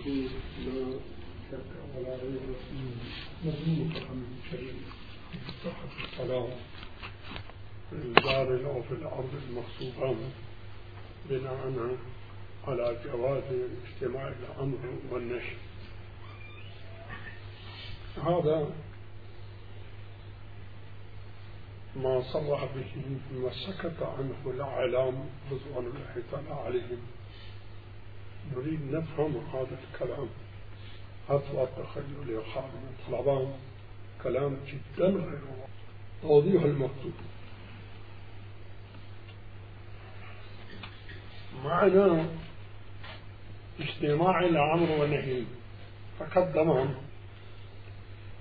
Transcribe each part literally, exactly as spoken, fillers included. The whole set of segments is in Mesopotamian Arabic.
يكون لا شك ولا ريب مضمون فهم شريف في صحة الصلاة في الدار أو في الأرض المغصوبة بناء على جواز اجتماع الأمر والنهي. هذا ما صرح به وسكت عنه الأعلام رضوان الله تعالى عليهم. نريد نفهم هذا الكلام أطلق تخيل خالد من طلبان، كلام جدا غير توضيح المكتوب. معنى اجتماع الأمر والنهي تقدم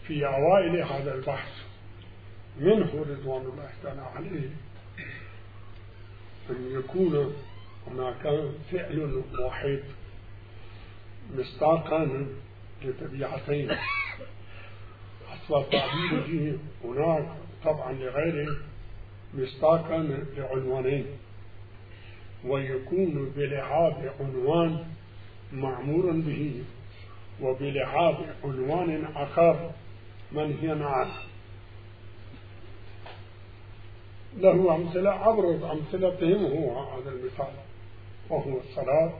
في أوائل هذا البحث منه رضوان الله تعالى عليه أن يكون هناك فعل واحد مصداقا لطبيعتين، أصل تعبيره هناك طبعا لغيره مصداقا لعنوانين، ويكون بلعاب عنوان معمور به وبلعاب عنوان آخر منهيا عنه. له أمثلة أبرز أمثلتهم هو هذا المثال، وهو الصلاة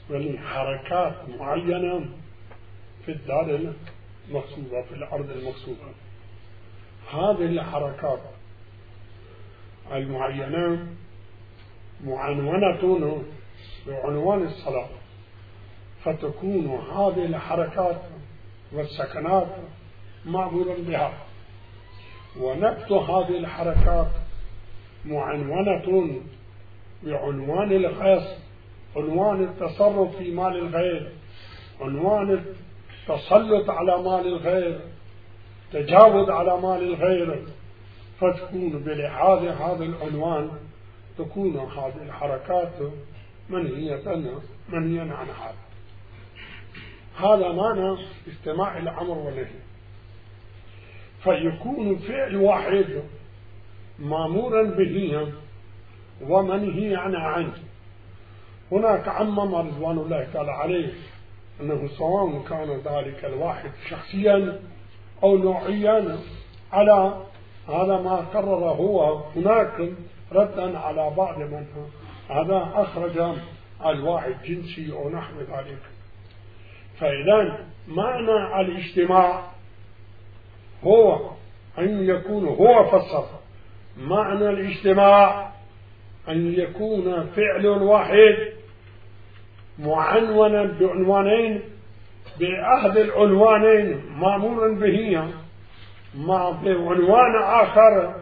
ولحركات معينة في الدار المغصوبة في الأرض المغصوبة. هذه الحركات المعينة معنونة بعنوان الصلاة، فتكون هذه الحركات والسكنات معمورا بها، ونبت هذه الحركات معنونة بعنوان الغصب، عنوان التصرف في مال الغير، عنوان التسلط على مال الغير، تجاوز على مال الغير، فتكون بلحاظ هذا العنوان تكون هذه الحركات منهية منهيا عن هذا. هذا معنى استماع الأمر والنهي، فيكون فعل واحد مامورا به ومنهي عنه. هناك عمم رضوان الله تعالى عليه أنه سواء كان ذلك الواحد شخصيا أو نوعيا على هذا ما قرر هو هناك ردا على بعض من هذا أخرج الواحد جنسي أو نحو ذلك. فإذا معنى الاجتماع هو أن يكون هو فسر معنى الاجتماع أن يكون فعل واحد معنونا بعنوانين، بأحد العنوانين مأمور به مع بعنوان آخر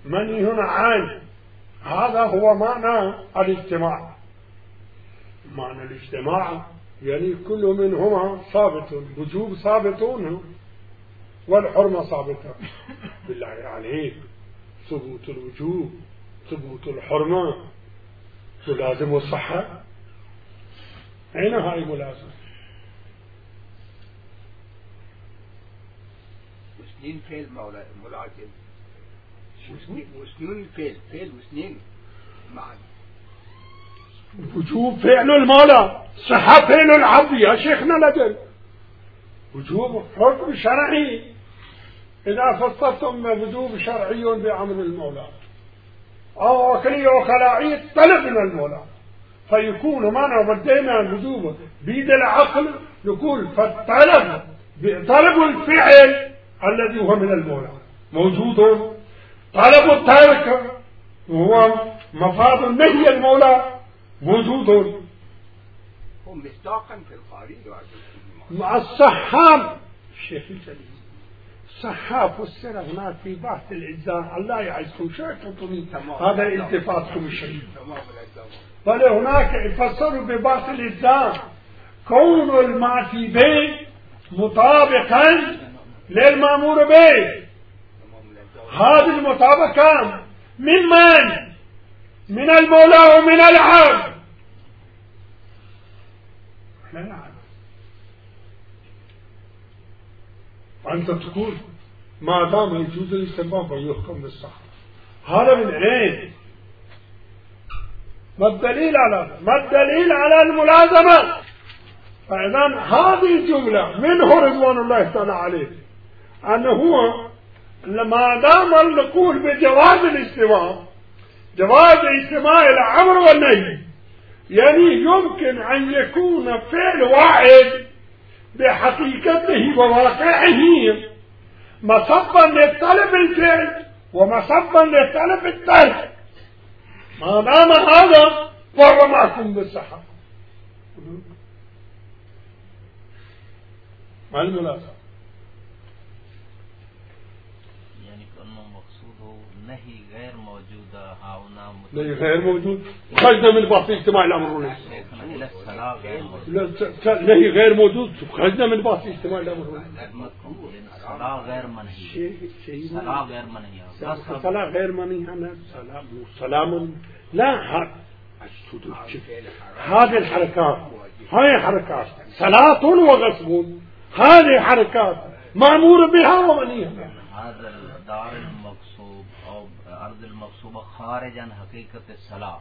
منهي عنه. هذا هو معنى الاجتماع. معنى الاجتماع يعني كل منهما ثابت، الوجوب ثابتون والحرمة ثابتة. بالله عليك ثبوت الوجوب ثبوت الحرمة تلازم الصحة، أين هاي ملازمة؟ وسنين فعل ملازم، وسنين فعل فعل وسنين معا. وجوب فعل المولى، صحة فعل العبد يا شيخنا لدل. وجوب حكم شرعي إذا فصلتم وجوب شرعي بأمر المولى أو وكلية وخلاعية طلب من المولى، فيكون معنا بدينا الوجوب بيد العقل نقول فالطلب طلب الفعل الذي هو من المولى موجود، طلب الترك وهو مفاد النهي المولى موجود. هم مصداقا في الخارج مع الصحاب الشيخ الجليل صحاب فسر هناك في بحث الإجزاء. الله يعزكم شيخكم هذا التفاتكم الشريف، بل هناك يفسروا ببحث الإجزاء كون المعصي به مطابقا للمأمور به. هذه المطابقة من من؟ من المولى ومن العبد. لا نعلم. وأنت تقول ما دام يجوز الاستنباط فيحكم بالصحة. هذا من أين؟ ما الدليل على هذا؟ ما الدليل على الملازمة؟ فإذا هذه الجملة منه رضوان الله تعالى عليه أنه هو لما دام نقول بجواز الاجتماع، جواز اجتماع الأمر والنهي، يعني يمكن أن يكون فعل واحد بحقيقته وواقعه مصبا لطلب الفعل ومصبا لطلب الترك، ما دام هذا فهو معكم بالصحة. ما المناسبة؟ يعني كأنه مقصوده نهي غير موجودة هنا، نهي غير موجود خرجنا من بحث اجتماع الأمر والنهي. إلى الصلاة غير موجود. نهي غير موجود خرجنا من بحث اجتماع الأمر والنهي. الصلاة غير منهي. الصلاة غير منهي. الصلاة غير منهي. أنا سلام سلام لا هذا هذه الحركات، هاي حركات صلاة وغصب، هذه حركات مأمور بها ومنهي عنها. هذا الدار المقصوب أو أرض المقصوبة خارج عن حقيقة الصلاة،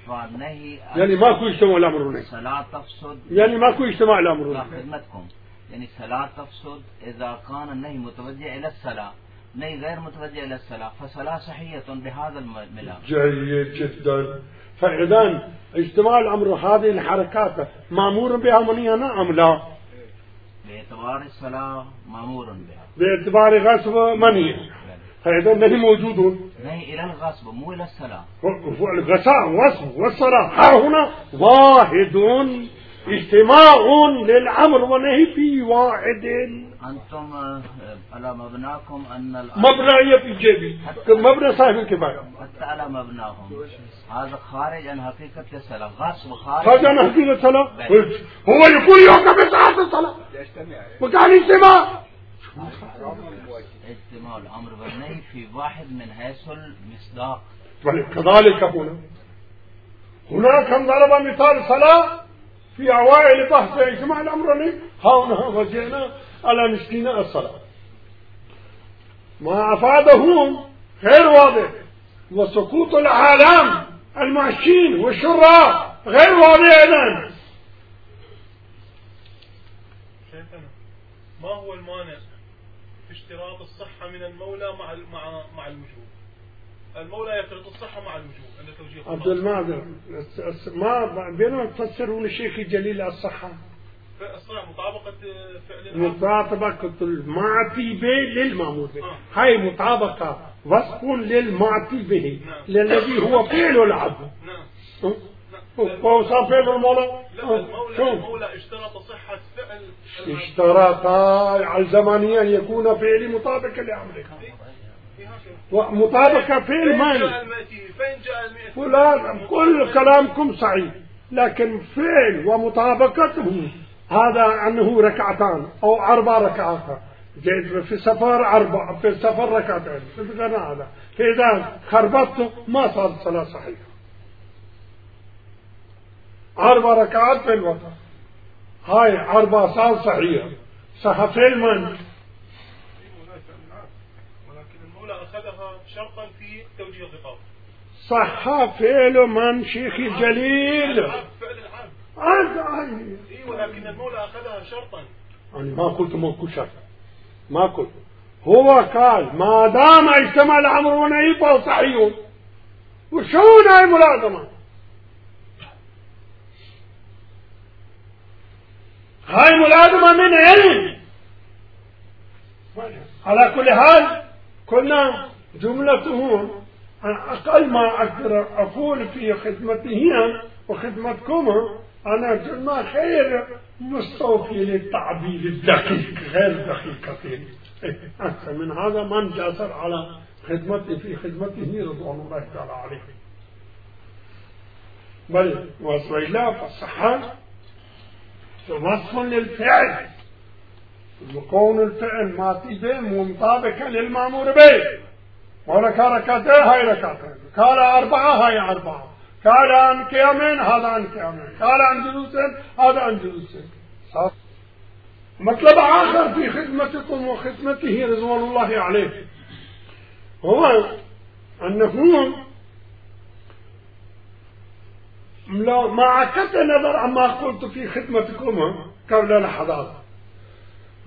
فالنهي يعني ماكو اجتماع الأمر والنهي. صلاة تفسد، يعني ماكو اجتماع الأمر والنهي. خدمتكم يعني صلاة تفسد إذا كان النهي متوجه إلى الصلاة، نهي غير متوجه إلى الصلاة فصلاة صحية بهذا الملام. جيد جدا. فإذا اجتماع الأمر هذه الحركات مأمور بها منهي عنها أم لا؟ باعتبار الصلاة مأمور بها، باعتبار غصب منهي. فإذا النهي موجود، نهي إلى الغصب مو إلى الصلاة. الغصاء والغصب والصلاة ها هنا واحد، اجتماع للأمر والنهي في واحد. أنتم على مبناكم أن مبنى في جيبي مبنى صاحب الكفاية، حتى على مبناهم هذا خارج عن حقيقة الصلاة، غصب خارج خارج عن حقيقة الصلاة. هو يقول يوقف بساعة الصلاة وكان اجتماع اجتماع الأمر والنهي في واحد من حيث المصداق. كذلك هنا هناك كم ضرب مثال صلاة في أوائل بحث اجتماع الأمر والنهي، هنا وجئنا على مسكين الصلاة. ما أفاده غير واضح، وسقوط العالم المعشين والشراء غير واضح أيضا. شيخنا ما هو المانع في اشتراط الصحة من المولى مع مع مع الوجوب؟ المولى يشترط الصحة مع الوجوب عند توجيه عبد المعذر ما بينما تفسرون الشيخ الجليل الصحة الصحة مطابقة فعل مطابقة المعطي به للمأمور به. آه. هاي مطابقة وصف للمعطي به الذي هو فعل العبد. نعم. هو صار فعل المولى. لا المولى المولى اشترط صحة فعل، اشترط على الزمانية أن يكون فعل مطابق لأمره، ومطابقة فعل ماني. فلان كل كلامكم صحيح، لكن فعل ومطابقته هذا أنه ركعتان أو أربع ركعات، في السفر أربع، في السفر ركعتين، في هذا فإذا خربطته ما صار صلاة صحيحة. أربع ركعات في الوتر، هاي أربع صار صحيحة، صح فعل ماني. ولكن المولى أخذها شرطا في توجيه الرقاب. صح فعل من شيخ الجليل. فعل العبد. عبد. إيه ولكن المولى أخذها شرطا. أنا ما قلت موكو شرط، ما قلت. هو قال ما دام اجتمع الأمر والنهي فهو صحيح. وشون هاي ملازمة؟ هاي ملازمة من علم. على كل حال كنا جملته أقل ما أقدر أقول في خدمته وخدمتكم أنا جملة خير مستوفي للتعبير الدقيق غير دقيقتين. أحسن من هذا من جاسر على خدمته في خدمته رضوان الله تعالى عليه. بل وصف الله فالصحة وصف للفعل، وكون الفعل ماتي به مطابقا للمأمور به. ولك ركعتين هاي ركعتين، قال أربعة هاي أربعة، قال عن قيامين هذا عن قيامين، قال عن جلوسين هذا عن جلوسين. مطلب آخر في خدمتكم وخدمته رضوان الله عليه هو أنه مع كت نظر عما قلت في خدمتكم قبل لحظات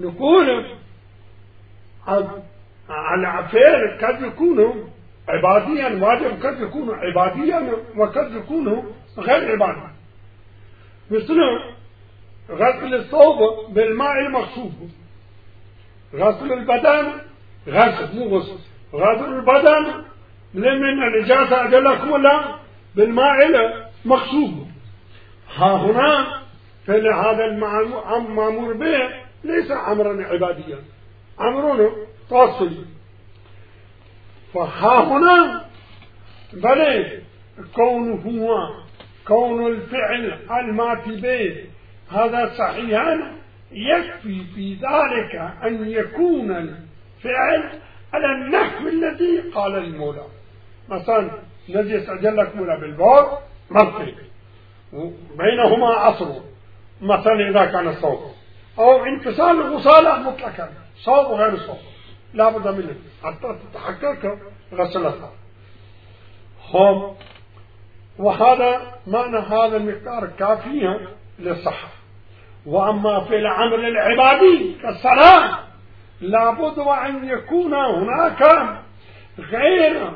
نقول على فعل قد يكون عباديا واجب، قد يكون عباديا وقد يكون غير عبادي، مثل غسل الثوب بالماء المغصوب، غسل البدن، غسل مو غسل، غسل البدن لمن النجاسة أجلكم الله بالماء المغصوب. ها هنا فهذا المأمور به ليس أمرا عباديا، أمر تواصلي. فها هنا بل كونه هو كون الفعل الماتي به هذا صحيحا، يكفي في ذلك أن يكون الفعل على النحو الذي قال المولى. مثلا نجس أجلك مولا بالبول منطق بينهما عصر، مثلا إذا كان الصوت أو انفصال الغسالة مطلقا صوت وغير صوت لا بد منه حتى تتحقق غسلتها. هم وهذا معنى هذا المقدار كافيا للصحة. وأما في العمل العبادي كالصلاة لابد وأن يكون هناك غير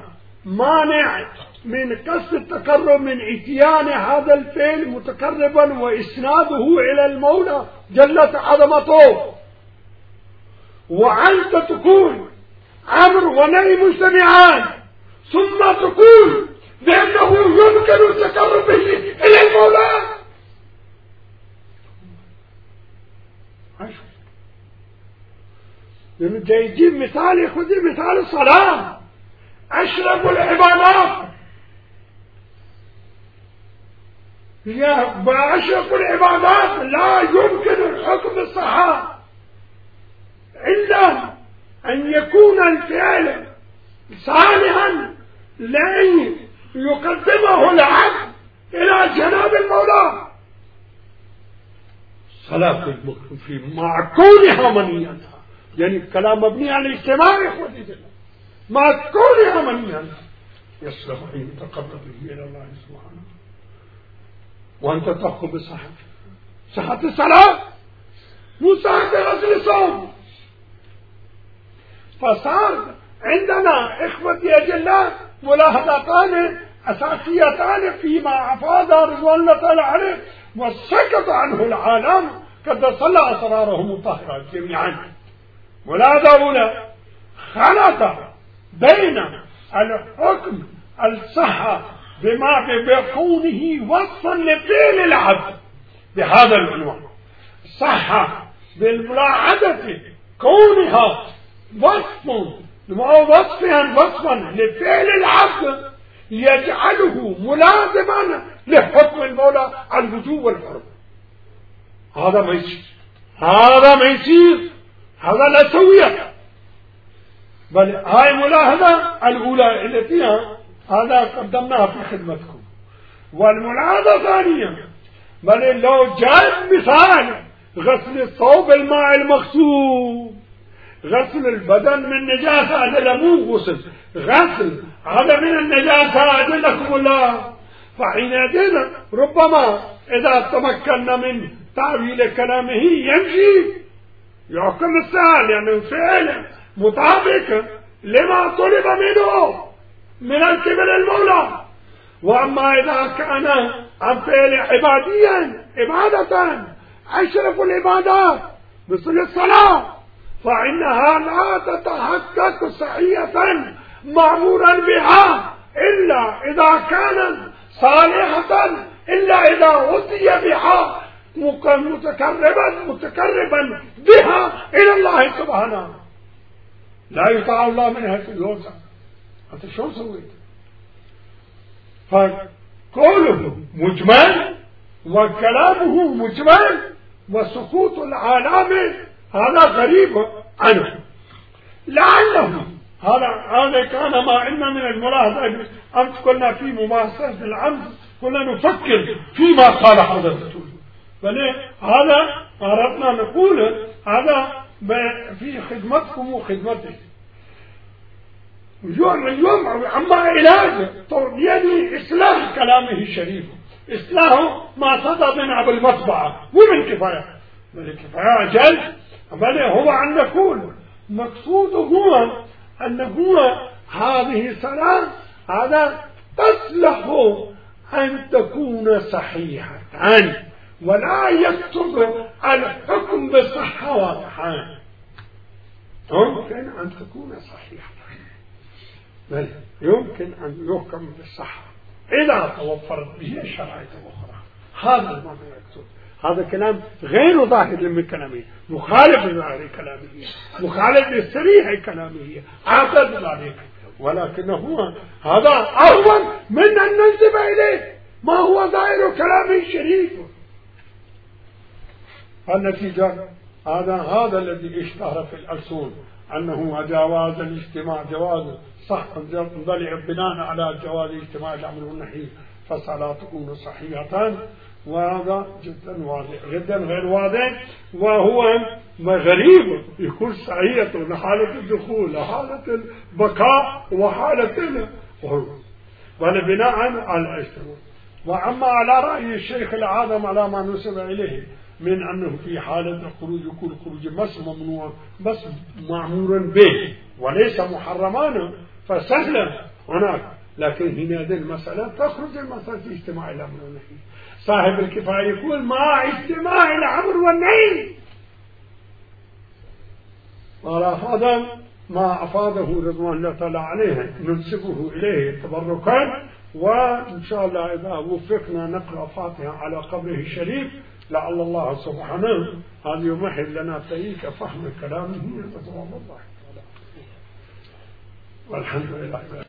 مانع من قصد التقرب من اتيان هذا الفعل متقربا وإسناده إلى المولى جلت عظمته، وأنت تكون أمر ونهي مجتمعان ثم تقول بأنه يمكن التقرب به إلى المولى. لأنه جاي يجيب مثال، ياخذ مثال الصلاة أشرف العبادات، يا بأشرف العبادات لا يمكن الحكم بالصحة إلا أن يكون الفعل صالحا لأن يقدمه العبد إلى جناب المولى. صلاة المخلوق مع كونها منية، يعني الكلام مبني على الاجتماع يا اخوتي مع كونها منية يصلح أن يتقرب به إلى الله سبحانه. وأنت تحكم بصحة صحة الصلاة مو صحة غسل الصوم. فصار عندنا إخوتي أجلاء ملاحظتان أساسيتان فيما أفاد رضوان الله تعالى عليه وسكت عنه العالم قد صلى أسرارهم الطاهرة جميعا. ولا أولى خلط بين الحكم الصحة بما بكونه وصفا لفعل العبد بهذا العنوان، صحة بالملاحظة كونها وصف وصفا وصفا لفعل العبد يجعله ملازما لحكم المولى الوجوب والحرم. هذا ما يصير، هذا ما يصير، هذا لا سوية. بل هاي ملاحظة الأولى اللي فيها هذا قدمناها في خدمتكم. والملاحظة الثانية بل لو جاء مثال غسل الثوب الماء المغسول، غسل البدن من نجاسة هذا مو غسل، غسل هذا من النجاسة أجلكم الله. فحينئذ ربما إذا تمكنا من تعبير كلامه يمشي يحكم السهل، يعني فعل مطابق لما طلب منه من الكبر المولى. وأما إذا كان عن فعل عباديا عبادة أشرف العبادات مثل الصلاة فإنها لا تتحقق صحية مأمورا بها إلا إذا كانت صالحة، إلا إذا أتي بها متقربا متقربا بها إلى الله سبحانه. لا يطاع الله من هذه الوسع. أنت شو سويت؟ فقوله مجمل وكلامه مجمل وسقوط العالم هذا غريب عنه. لعله هذا هذا كان ما عندنا من الملاحظة. أمس كنا في ممارسة العمد كنا نفكر فيما قال هذا الرسول، بل هذا أردنا نقول هذا في خدمتكم وخدمته. اليوم اليوم أما علاج يعني إصلاح كلامه الشريف، إصلاح ما صدر من أبو المطبعة ومن كفاية الكفاية أجل بل هو أن نقول مقصود هو أن هو هذه صلاة هذا تصلح أن تكون صحيحة ولا يكتب الحكم بصحة واضحة، يمكن أن تكون صحيحة بل يمكن أن يحكم بالصحة إذا توفرت به شرائط أخرى. هذا المعنى يكتب. هذا كلام غير ظاهر من كلامه، مخالف لظاهر كلامه، مخالف لصريح كلامه، أعتد ذلك، ولكن هو هذا أهون من أن ننسب إليه ما هو ظاهر كلامه الشريف. النتيجة هذا هذا الذي اشتهر في الألسن أنه جواز الاجتماع جواز صح ضلع بناء على جواز اجتماع الأمر والنهي فصلاة تكون صحيحة، وهذا جدا واضح جدا غير واضح، وهو غريب يكون صحيحة لحالة الدخول لحالة البقاء وحالة بناء على الاجتماع. وأما على رأي الشيخ العظم على ما نسب إليه من أنه في حالة الخروج يكون خروج بس ممنوع بس معمور به وليس محرمان فسهلا هناك، لكن هنا هذه المسألة تخرج المسألة في اجتماع الأمر والنهي. صاحب الكفاية يقول مع اجتماع الأمر والنهي، وهذا ما أفاده رضوان الله تعالى عليه ننسبه إليه تبركا، وإن شاء الله إذا وفقنا نقرأ فاتحة على قبره الشريف لعل الله سبحانه أن يمهد لنا طريق فهم كلامه والحمد لله.